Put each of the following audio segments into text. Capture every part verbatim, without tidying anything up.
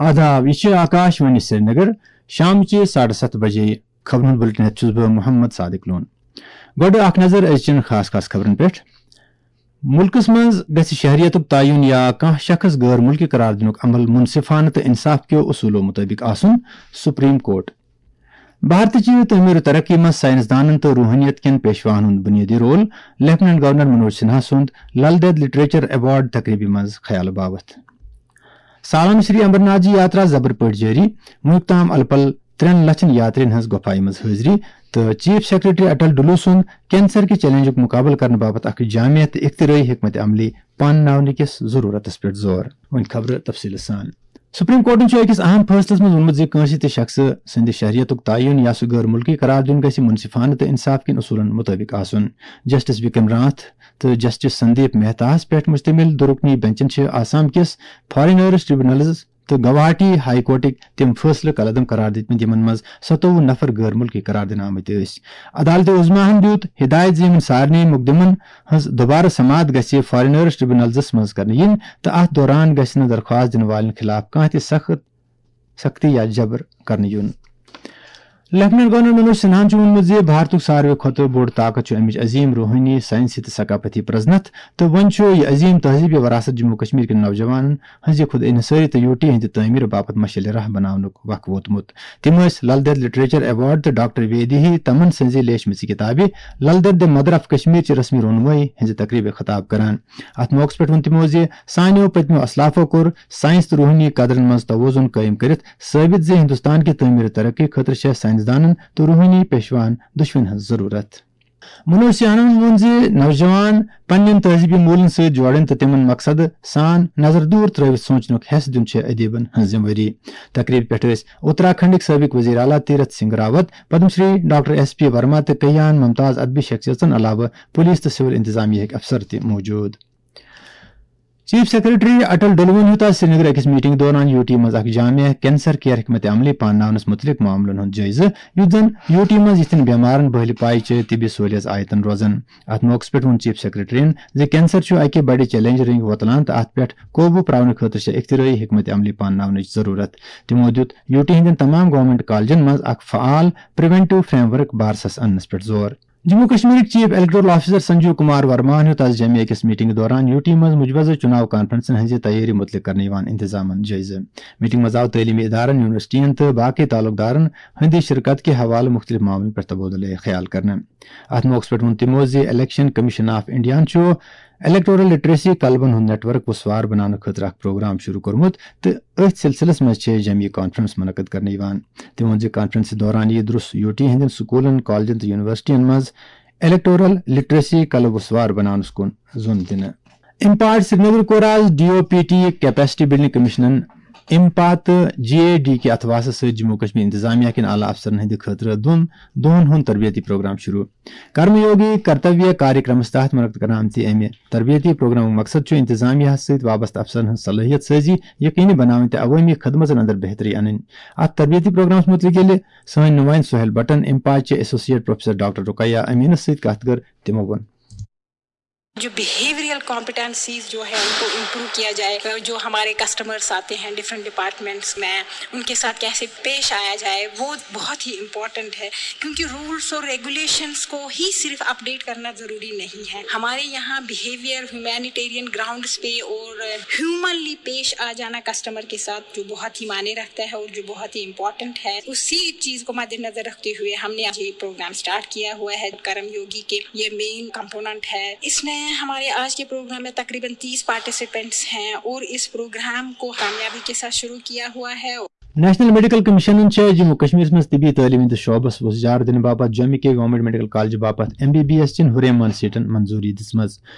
آداب، یہِ چھِ آکاش وانی سرینگر۔ شامچہِ ساڑٕ ستھ بجے خبرن ہُنٛد بُلٹن ہٮ۪تھ چھُس بہٕ محمد صادق لون۔ گۄڈٕ اکھ نظر أزچٮ۪ن خاص خاص خبرن پٮ۪ٹھ۔ مُلکس منٛز گژھِ شہریتُک تعین یا کانٛہہ شخص غٲر مُلکی قرار دِنُک عمل مُنصِفانہٕ تہٕ انصاف کیو اصوٗلو مُطٲبِق آسُن، سپریم کورٹ۔ بھارتٕچہِ تعمیٖر و ترقی منٛز ساینس دانن تہٕ روحٲنیت کٮ۪ن پیشواہن ہُنٛد بُنیٲدی role, lieutenant governor Manoj Sinha سُنٛد لل دید لٹریچر ایوارڈ تقریبہِ منٛز خیال باوتھ۔ سالانہٕ شری امرناتھ جی یاترا زبر پٲٹھۍ جٲری، وُنیُک تام الہٕ پلہٕ ترٛٮ۪ن لچھن یاترین ہٕنٛز گۄپھایہِ منٛز حٲضری تہٕ چیف سیکرٹری اٹل ڈلو سُنٛد کینسر کہِ چیلنجُک مُقابلہٕ کرنہٕ باپتھ اکھ جامع تہٕ اختراعی حکمت عملی پانناونہٕ کِس ضروٗرتس پٮ۪ٹھ زور۔ وۄنۍ خبرٕ تفصیٖلہٕ سان۔ سپریم کورٹن چھُ أکِس اہم فٲصلس منٛز ووٚنمُت زِ کٲنٛسہِ تہِ شخصہٕ سٕنٛدِ شہریتُک تعین یا سُہ غٲر مُلکی قرار دیُن گژھِ مُنصِفانہٕ تہٕ انصاف کٮ۪ن اصوٗلن مُطٲبِق آسُن۔ جسٹس وکرم ناتھ تہٕ جسٹس سندیپ مہتاہس پٮ۪ٹھ مشتمل دُرُکنی بنچن چھِ آسام کِس فارینرز ٹریبونلز تہٕ گوہاٹی ہائی کورٹٕکۍ تِم فٲصلہٕ قلعدم قرار دِتمٕتۍ، یِمن منٛز ستووُہ نفر غٲر مُلکی قرار دِنہٕ آمٕتۍ ٲسۍ۔ عدالتہِ عظمیٰ ہن دیُت ہدایت زِ یِمن سارنٕے مقدمن ہٕنٛز دوبارٕ سماعت گژھِ فارینرز ٹریبونلزس منٛز کرنہٕ یِنۍ تہٕ اتھ دوران گژھِ نہٕ درخواست دِنہٕ والٮ۪ن خلاف کانٛہہ تہِ سخت سختی یا جبر کرنہٕ یُن۔ لیفٹیننٹ گورنر منوج سنہاہن چھُ ووٚنمُت زِ بھارتُک ساروٕے کھۄتہٕ بوٚڑ طاقت چھُ امِچ عظیم روحٲنی، ساینسی تہٕ ثقافتی پرزنت، تہٕ وۄنۍ چھُ یہِ عظیم تہذیبی وراثت جموں کشمیر کٮ۪ن نوجوانن ہٕنٛزِ خود انحصٲری تہٕ یوٗ ٹی ہٕنٛدِ تعمیٖرٕ باپتھ مشعلِ راہ بناونُک وق ووتمُت۔ تِم ٲسۍ لل دید لٹریچر ایوارڈ تہٕ ڈاکٹر ویدی ہی تمن سٕنٛزِ لیچھمٕژِ کِتابہِ Lal Ded the mother of Kashmir چہِ رسمی رونمٲیی ہٕنٛزِ تقریبہِ خطاب کران۔ اتھ موقعس پٮ۪ٹھ ووٚن تِمو زِ سانیو پٔتمیو اسلافو کوٚر ساینس تہٕ روحٲنی قدرن منٛز توازن قٲیِم کٔرِتھ ثٲبت زِ ہندوستان کہِ تعمیٖر ترقی خٲطرٕ چھےٚ ساینسدانن تہٕ روحٲنی پیشواہن دۄشوٕنۍ ہٕنٛز ضروٗرت۔ منوج سنہاہن ووٚن زِ نوجوان پننٮ۪ن تہذیبی موٗلن سۭتۍ جوڑٕنۍ تہٕ تِمن مقصد سان نظر دوٗر ترٲوِتھ سونچنُک حیس دیُن چھےٚ ادیبن ہٕنٛز ذمہٕ وٲری۔ تقریبہِ پٮ۪ٹھ ٲسۍ اتراکھنڈٕکۍ سٲبق وزیر اعلیٰ Tirath Singh Rawat, Padma Shri doctor S P Verma تہٕ کیان ممتاز ادبی شخصیژن علاوٕ پولیس تہٕ سول انتظامیہ ہٕکۍ افسر تہِ موجود۔ چیف سیکرٹری اٹل ڈلوُن ہیوٚت آز سرینگر أکِس میٹنگ دوران یوٗ ٹی منٛز اکھ جامع کینسر کیئر حکمت عملی پانناونس مُتعلق معاملن ہُنٛد جٲیزٕ، یُتھ زن یوٗ ٹی منٛز یِتھٮ۪ن بٮ۪مارن بہلہِ پایہِ چہِ طبی سہولیژ آیتن روزن۔ اتھ موقعس پٮ۪ٹھ ووٚن چیف سیکرٹریَن زِ کینسر چھُ اکہِ بڑِ چیلنج رنگہِ وۄتلان تہٕ اتھ پٮ۪ٹھ قوبوٗ پراونہٕ خٲطرٕ چھےٚ اختراعی حکمت عملی پانناونٕچ ضروٗرت۔ تِمو دیُت یوٗ ٹی ہٕنٛدٮ۪ن تمام گورنمنٹ کالجن منٛز اکھ فعال پریونٹیو فریم ورک بارسس اننس پٮ۪ٹھ زور۔ جموں کشمیرٕکۍ chief electoral officer Sanjeev Kumar ورماہن ہیوٚت آز جامعہ کِس میٹنگ دوران یوٗ ٹی منٛز مجوزٕ چُناو کانفرنسن ہٕنٛزِ تیٲری مُتعلق کرنہٕ یِوان انتظامن جٲیزٕ۔ میٹنگ منٛز آو تعلیمی ادارن، یونیورسٹین تہٕ باقی تعلق دارن ہٕنٛدِ شرکت کہِ حوالہٕ مُختٔلِف معاملن پٮ۪ٹھ تبادلہٕ خیال کرنہٕ۔ اتھ موقعس پٮ۪ٹھ ووٚن تِمو زِ الیکشن کمیشن آف انڈیاہن چھُ الیکٹورل لٹریسی کلبن ہُنٛد نیٹ ورک وُسوار بناونہٕ خٲطرٕ اکھ پروگرام شروع کوٚرمُت تہٕ أتھۍ سلسلس منٛز چھےٚ جامعہ کانفرنس منعقد کرنہٕ یِوان۔ تٔمۍ ووٚن زِ کانفرنسہِ دوران یِیہِ درُس یوٗ ٹی ہٕنٛدٮ۪ن سکوٗلن، کالجن تہٕ یونیورسٹین منٛز الیکٹورل لٹریسی کلب وُسوار بناونس کُن زوٚن دِنہٕ۔ امپاٹ سرینگر کوٚر آز D O P T capacity building کمیشنن امپا تہٕ جے اے ڈی کہِ اتھواسہٕ سۭتۍ جموں کشمیر انتظامیہ کٮ۪ن اعلیٰ افسرن ہٕنٛدِ خٲطرٕ دۄن دۄہن ہُنٛد تربیتی پروگرام شروع۔ کرم یوگی کرتویہ کاریہ کرمس تحت منعقد کرنہٕ آمتہِ امہِ تربیتی پروگرامُک مقصد چھُ انتظامیہ ہس سۭتۍ وابستہٕ افسرن ہٕنٛز صلٲحیت سٲزی یقینی بناوٕنۍ تہٕ عوٲمی خدمژن اندر بہتری انٕنۍ۔ اتھ تربیتی پروگرامس مُتعلق ییٚلہِ سٲنۍ نُمٲیندٕ سہیل بٹن امپاچ چہِ ایسوسیٹ پروفیسر ڈاکٹر رقیہ امینس سۭتۍ کتھ کٔر، تِمو ووٚن۔ جو بیہیویئرل کمپٹنسیز جو ہے ان کو امپروو کیا جائے، جو ہمارے کسٹمرس آتے ہیں ڈفرینٹ ڈپارٹمنٹس میں، ان کے ساتھ کیسے پیش آیا جائے، وہ بہت ہی امپورٹنٹ ہے، کیونکہ رولس اور ریگولیشنس کو ہی صرف اپڈیٹ کرنا ضروری نہیں ہے۔ ہمارے یہاں بیہیویئر ہیومینیٹیرین گراؤنڈس پہ اور ہیومنلی پیش آ جانا کسٹمر کے ساتھ جو بہت ہی معنی رکھتا ہے اور جو بہت ہی امپورٹنٹ ہے، اسی چیز کو مد نظر رکھتے ہوئے ہم نے آج یہ پروگرام اسٹارٹ کیا ہوا ہے۔ کرم یوگی کے یہ مین کمپوننٹ ہے۔ اس نے ہمارے آج کے پروگرام میں تقریباً تیس پارٹیسپینٹس ہیں اور اس پروگرام کو کامیابی کے ساتھ شروع کیا ہوا ہے۔ نیشنل میڈیکل کمیشنن چھےٚ جموں کشمیرس منٛز طبی تعلیٖم ہٕنٛدِس شعبس وُژھ جار دِنہٕ باپتھ جوٚمہِ کہِ گورنمنٹ میڈیکل کالجہِ باپتھ ایم بی بی ایس چٮ۪ن ہُریمان سیٹن منظوٗری دِژمٕژ۔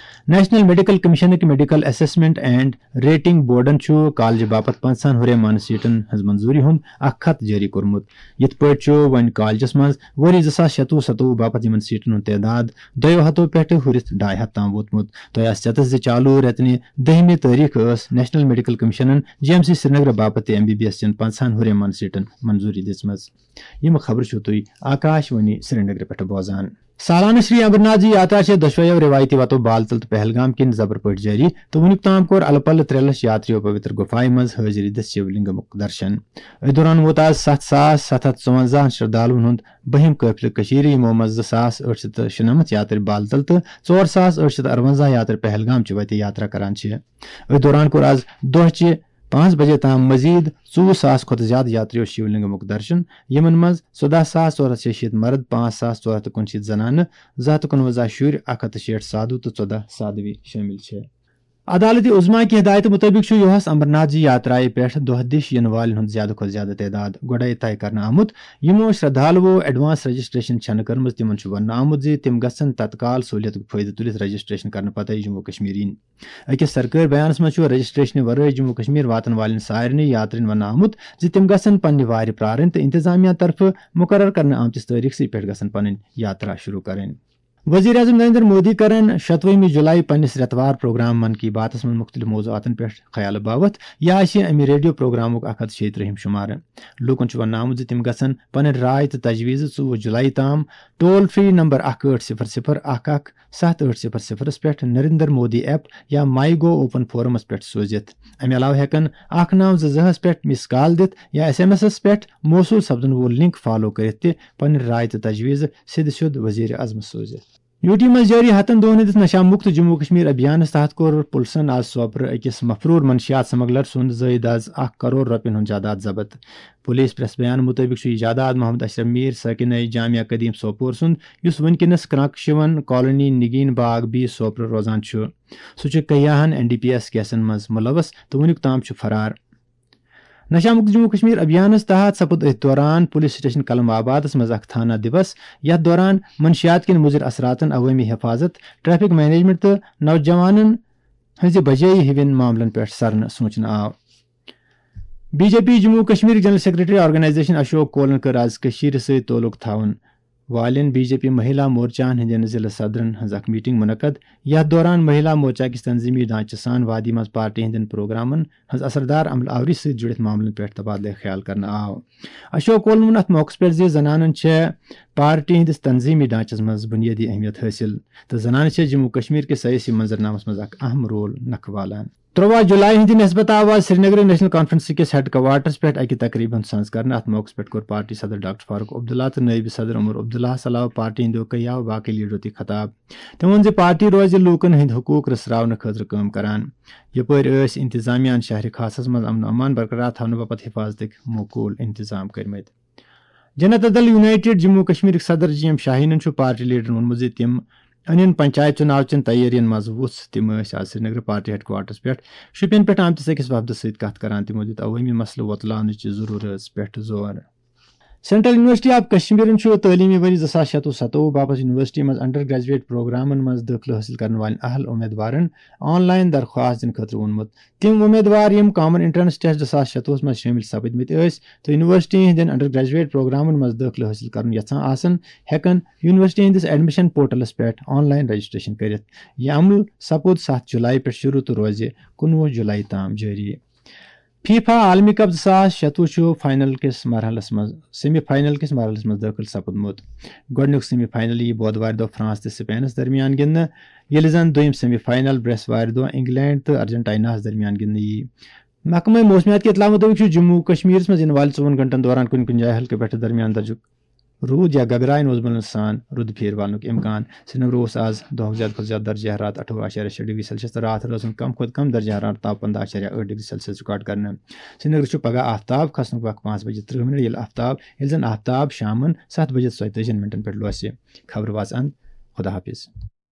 نیشنل میڈیکل کمیشنٕکۍ میڈیکل اسسمنٹ اینڈ ریٹنگ بورڈن چھُ کالجہِ باپتھ پنٛژاہن ہُریمان سیٹن ہٕنٛز منظوٗری ہُنٛد اکھ خط جٲری کوٚرمُت۔ یِتھ پٲٹھۍ چھُ وۄنۍ کالجس منٛز ؤری زٕ ساس شتوُہ ستوُہ باپتھ یِمن سیٹن ہُنٛد تعداد دۄیو ہتو پٮ۪ٹھٕ ہُرِتھ ڈاے ہتھ تام ووتمُت۔ تۄہہِ آسہِ چٮ۪تس زِ چالوٗ رٮ۪تنہِ دٔہمہِ تٲریخ ٲس نیشنل میڈیکل کمیشنن جی ایم سی سرینگر باپتھ تہِ ایم بی بی ایس چٮ۪ن پنٛژاہن ہُریمن سیٹن منظوٗری دِژمٕژ۔ یِم خبرٕ چھِو تُہۍ آکاش وانی سرینگرٕ پٮ۪ٹھٕ بوزان۔ سالانہٕ شری امرناتھ جی یاترا چھےٚ دۄشویو رِوایتی وتو بالتل تہٕ پہلگام کِنۍ زبر پٲٹھۍ جٲری، تہٕ وُنیُک تام کوٚر الہٕ پلہٕ ترٛےٚ لچھ یاتریو پویتر گُفایہِ منٛز حٲضری دِتھ شیو لنگمُک درشن۔ أتھۍ دوران ووت آز ستھ ساس ستھ ہتھ ژُونزاہن شردالوَن ہُنٛد بٔہِم قٲفلہٕ کٔشیٖرِ، یِمو منٛز زٕ ساس ٲٹھ شیٚتھ تہٕ شُنَمَتھ یاترِ بالتل تہٕ ژور ساس ٲٹھ شیٚتھ تہٕ اَرونٛزاہ یاترِ پہلگام چہِ وتہِ یاترا کران چھِ۔ أتھۍ دوران کوٚر آز دۄہچہِ پانٛژھ بجے تام مزید ژوٚوُہ ساس کھۄتہٕ زیادٕ یاتریو شیو لنگمُک درشن، یِمن منٛز ژۄداہ ساس ژور ہتھ شیٚیہِ شیٖتھ مرد، پانٛژھ ساس ژور ہتھ تہٕ کُنشیٖتھ زنانہٕ، زٕ ہتھ تہٕ کُنوَنزاہ شُرۍ، اکھ ہتھ تہٕ شیٹھ سادھو تہٕ ژۄداہ سادھوی شٲمِل چھِ۔ عدالت عظمیٰ کہِ ہدایتہٕ مُطٲبِق چھُ یُہس امرناتھ جی یاترایہِ پٮ۪ٹھ دۄہ دِش یِنہٕ والٮ۪ن ہُنٛد زیادٕ کھۄتہٕ زیادٕ تعداد گۄڈَے طے کرنہٕ آمُت۔ یِمو شردھالوو advance registration چھَنہٕ کٔرمٕژ، تِمَن چھُ وننہٕ آمُت زِ تِم گژھن تتکال سہوٗلیتُک فٲیدٕ تُلِتھ registration کرنہٕ پتَے جموں کشمیر یِنۍ۔ أکِس سرکٲرۍ بیانَس منٛز چھُ registration ورٲے جموں کشمیر واتَن والٮ۪ن سارنٕے یاترین وننہٕ آمُت زِ تِم گژھن پننہِ وارِ پرارٕنۍ تہٕ انتظامیہ طرفہٕ مقرر کرنہٕ آمتِس تٲریخسٕے پٮ۪ٹھ گژھن پنٕنۍ یاترا شروع کرٕنۍ۔ وزیر اعظم نریندر مودی کرن شتوُہمہِ جولائی پننِس رٮ۪توار پروگرام من کی باتس منٛز مُختٔلِف موضوعاتن پٮ۪ٹھ خیال باوتھ۔ یہِ آسہِ امہِ ریڈیو پروگرامُک اکھ ہتھ شیٚیہِ ترٛہِم شمارٕ۔ لوٗکن چھُ وننہٕ آمُت زِ تِم گژھن پنٕنۍ راے تہٕ تجویٖزٕ ژوٚوُہ جولائی تام ٹول فری نمبر اکھ ٲٹھ صفر صفر اکھ اکھ ستھ ٲٹھ صفر صفرس پٮ۪ٹھ نریندر مودی ایپ یا مائی گو اوپن فورمس پٮ۪ٹھ سوٗزِتھ۔ امہِ علاوٕ ہٮ۪کن اکھ نو زٕ زٕ ہس پٮ۪ٹھ miss call دِتھ یا ایس ایم ایسس پٮ۪ٹھ موصوٗل سپدن وول لنک فالو کٔرِتھ تہِ پنٕنۍ راے تہٕ تجویٖزٕ سیٚدِ سیوٚد وزیر اعظمس سوٗزِتھ۔ یوٗ ٹی منٛز جٲری ہتن دۄہن ہٕنٛدِس نشہ مکت جموں کشمیر ابھیانس تحت کوٚر پُلسن آز سوپرٕ أکِس مفروٗر منشیات سمگلر سُنٛد زٲیِد از اکھ کرور رۄپین ہُنٛد جاداد ضبط۔ پُلیٖس پریس بیان مُطٲبِق چھُ یہِ جاداد محمد اشرف میٖر سٲکِنَے جامعہ قدیم سوپور سُنٛد، یُس وُنکیٚنَس کرٛنٛک شِوَن کالونی نگین باغ بی سوپرٕ روزان چھُ۔ سُہ چھُ کیاہن این ڈی پی ایس کیسن منٛز مُلوث تہٕ وُنیُک تام چھُ فرار۔ نشہ مکت جموں کشمیر ابھیانس تحت سپُد أتھۍ دوران پُلیٖس سٹیشن قلم آبادس منٛز اکھ تھانہ دیوس، یتھ دوران منشیات کٮ۪ن مُضر اثراتن عوٲمی حفاظت، ٹریفک مینجمنٹ تہٕ نوجوانن ہٕنٛزِ بجٲیی ہِوٮ۪ن معاملن پٮ۪ٹھ سرنہٕ سوٗنچنہٕ آو۔ B J P Jammu Kashmir general secretary organisation Ashok کولن کٔر آز کٔشیٖرِ سۭتۍ تعلق تھاوَن والٮ۪ن بی جے پی مہیلا مورچاہن ہٕنٛدٮ۪ن ضلع صدرن ہٕنٛز اکھ میٹنگ منعقد، یتھ دوران مہیلا مورچہ کِس تنظیمی ڈھانچہٕ سان وادی منٛز پارٹی ہٕنٛدٮ۪ن پروگرامن ہٕنٛز اثردار عمل آوری سۭتۍ جُڑِتھ معاملن پٮ۪ٹھ تبادلہٕ خیال کرنہٕ آو۔ اشوک کولن ووٚن اتھ موقعس پٮ۪ٹھ زِ زنانن چھےٚ پارٹی ہٕنٛدِس تنظیمی ڈھانچس منٛز بنیٲدی اہمیت حٲصِل تہٕ زنانہٕ چھےٚ جموں کشمیر کِس سیٲسی منظرنامس منٛز اکھ اہم رول نکھٕ والان۔ ترٛواہ جولائی ہٕنٛدِ نسبت آو آز سرینگرٕ نیشنل کانفرنس کِس ہیڈ کوارٹرس پٮ۪ٹھ اکہِ تقریبہِ ہُنٛد سنز کرنہٕ۔ اتھ موقعس پٮ۪ٹھ کوٚر پارٹی صدر ڈاکٹر فاروق عبداللہ تہٕ نٲیِب صدر عمر عبداللہس علاوٕ پارٹی ہٕنٛدیو کیاہو باقٕے لیڈرو تہِ خطاب۔ تٔمۍ ووٚن زِ پارٹی روزِ لوٗکن ہٕنٛدۍ حقوٗق رژھراونہٕ خٲطرٕ کٲم کران۔ یپٲرۍ ٲسۍ انتظامیہ ہن شہرِ خاصس منٛز امن و امان برقرار تھاونہٕ باپتھ حفاظتٕکۍ موقول انتظام کٔرمٕتۍ۔ جنتا دل یونائیٹڈ جموں کشمیرٕکۍ صدر جی ایم شاہینن چھُ پارٹی لیڈرن ووٚنمُت زِ تِم انن پنچایت چُناو چٮ۪ن تیٲرین منٛز وُژھ۔ تِم ٲسۍ آز سرینگرٕ پارٹی ہیڈ کوارٹرس پٮ۪ٹھ شُپین پٮ۪ٹھ آمتِس أکِس وفدس سۭتۍ کتھ کران۔ تِمو دیُت عوٲمی مسلہٕ وۄتلاونٕچ ضروٗرت پٮ۪ٹھ زور۔ سینٹرل یونیورسٹی آف کشمیرن چھُ تعلیمی ؤری زٕ ساس شَتوُہ ستووُہ باپتھ یونیورسٹی منٛز انڈر گریجویٹ پروگرامن منٛز دٲخلہٕ حٲصِل کرن والٮ۪ن اہل امیدوارن آن لائن درخواست دِنہٕ خٲطرٕ ووٚنمُت۔ تٔمۍ ووٚن، امیدوار یِم کامن انٹرنس ٹیسٹ زٕ ساس شَتوُہس منٛز شٲمِل سپٕدمٕتۍ ٲسۍ تہٕ یونیورسٹی ہٕنٛدٮ۪ن انڈر گریجویٹ پروگرامن منٛز دٲخلہٕ حٲصِل کرُن یژھان آسن، ہٮ۪کن یونیورسٹی ہٕنٛدِس ایڈمیشن پورٹلس پٮ۪ٹھ آن لائن رجسٹریشن کٔرِتھ۔ یہِ عمل سپُد ستھ جولائی پٮ۪ٹھ شروع تہٕ روزِ کُنوُہ جولائی تام جٲری۔ فیفا عالمی کپ زٕ ساس شَتوُہ چھُ فائنل کِس مرحلس منٛز، سیمی فائنل کِس مرحلس منٛز دٲخل سپُدمُت۔ گۄڈٕنیُک سیمی فائنل یِیہِ بۄدوارِ دۄہ فرانس تہٕ سپینس درمیان گِنٛدنہٕ، ییٚلہِ زن دوٚیِم سیمی فائنل برٛٮ۪سوارِ دۄہ انگلینڈ تہٕ ارجنٹائناہس درمیان گِنٛدنہٕ یِیہِ۔ محکمہ موسمیات کہِ اطلاع مُطٲبِق چھُ جموں و کشمیرس منٛز یِنہٕ والٮ۪ن ژوٚوُہن گھنٹن دوران کُنہِ کُنہِ جایہِ ہلکہٕ پٮ۪ٹھٕ درمیان درجُک روٗد یا گگرایہِ نوزمُلن سان رُدٕ پھیرٕ والنُک امکان۔ سرینگرٕ اوس آز دۄہُک زیادٕ کھۄتہٕ زیادٕ درجہ حرارت اَٹھووُہ اعشاریہ شےٚ ڈگری سیلسیس تہٕ راتھ روزُن کم کھۄتہٕ کم درجہ حرارت آو پنٛداہ اعشاریہ ٲٹھ ڈگری سیلسیس ریکارڈ کرنہٕ۔ سرینگرٕ چھُ پگہہ آفتاب کھسنُک وق پانٛژھ بجے ترٕٛہ منٹ، ییٚلہِ آفتاب، ییٚلہِ زن آفتاب شامن ستھ بجے ژۄیتٲجی منٹن پٮ۪ٹھ لوسہِ۔ خبرٕ واژٕ اند۔ خدا حافظ۔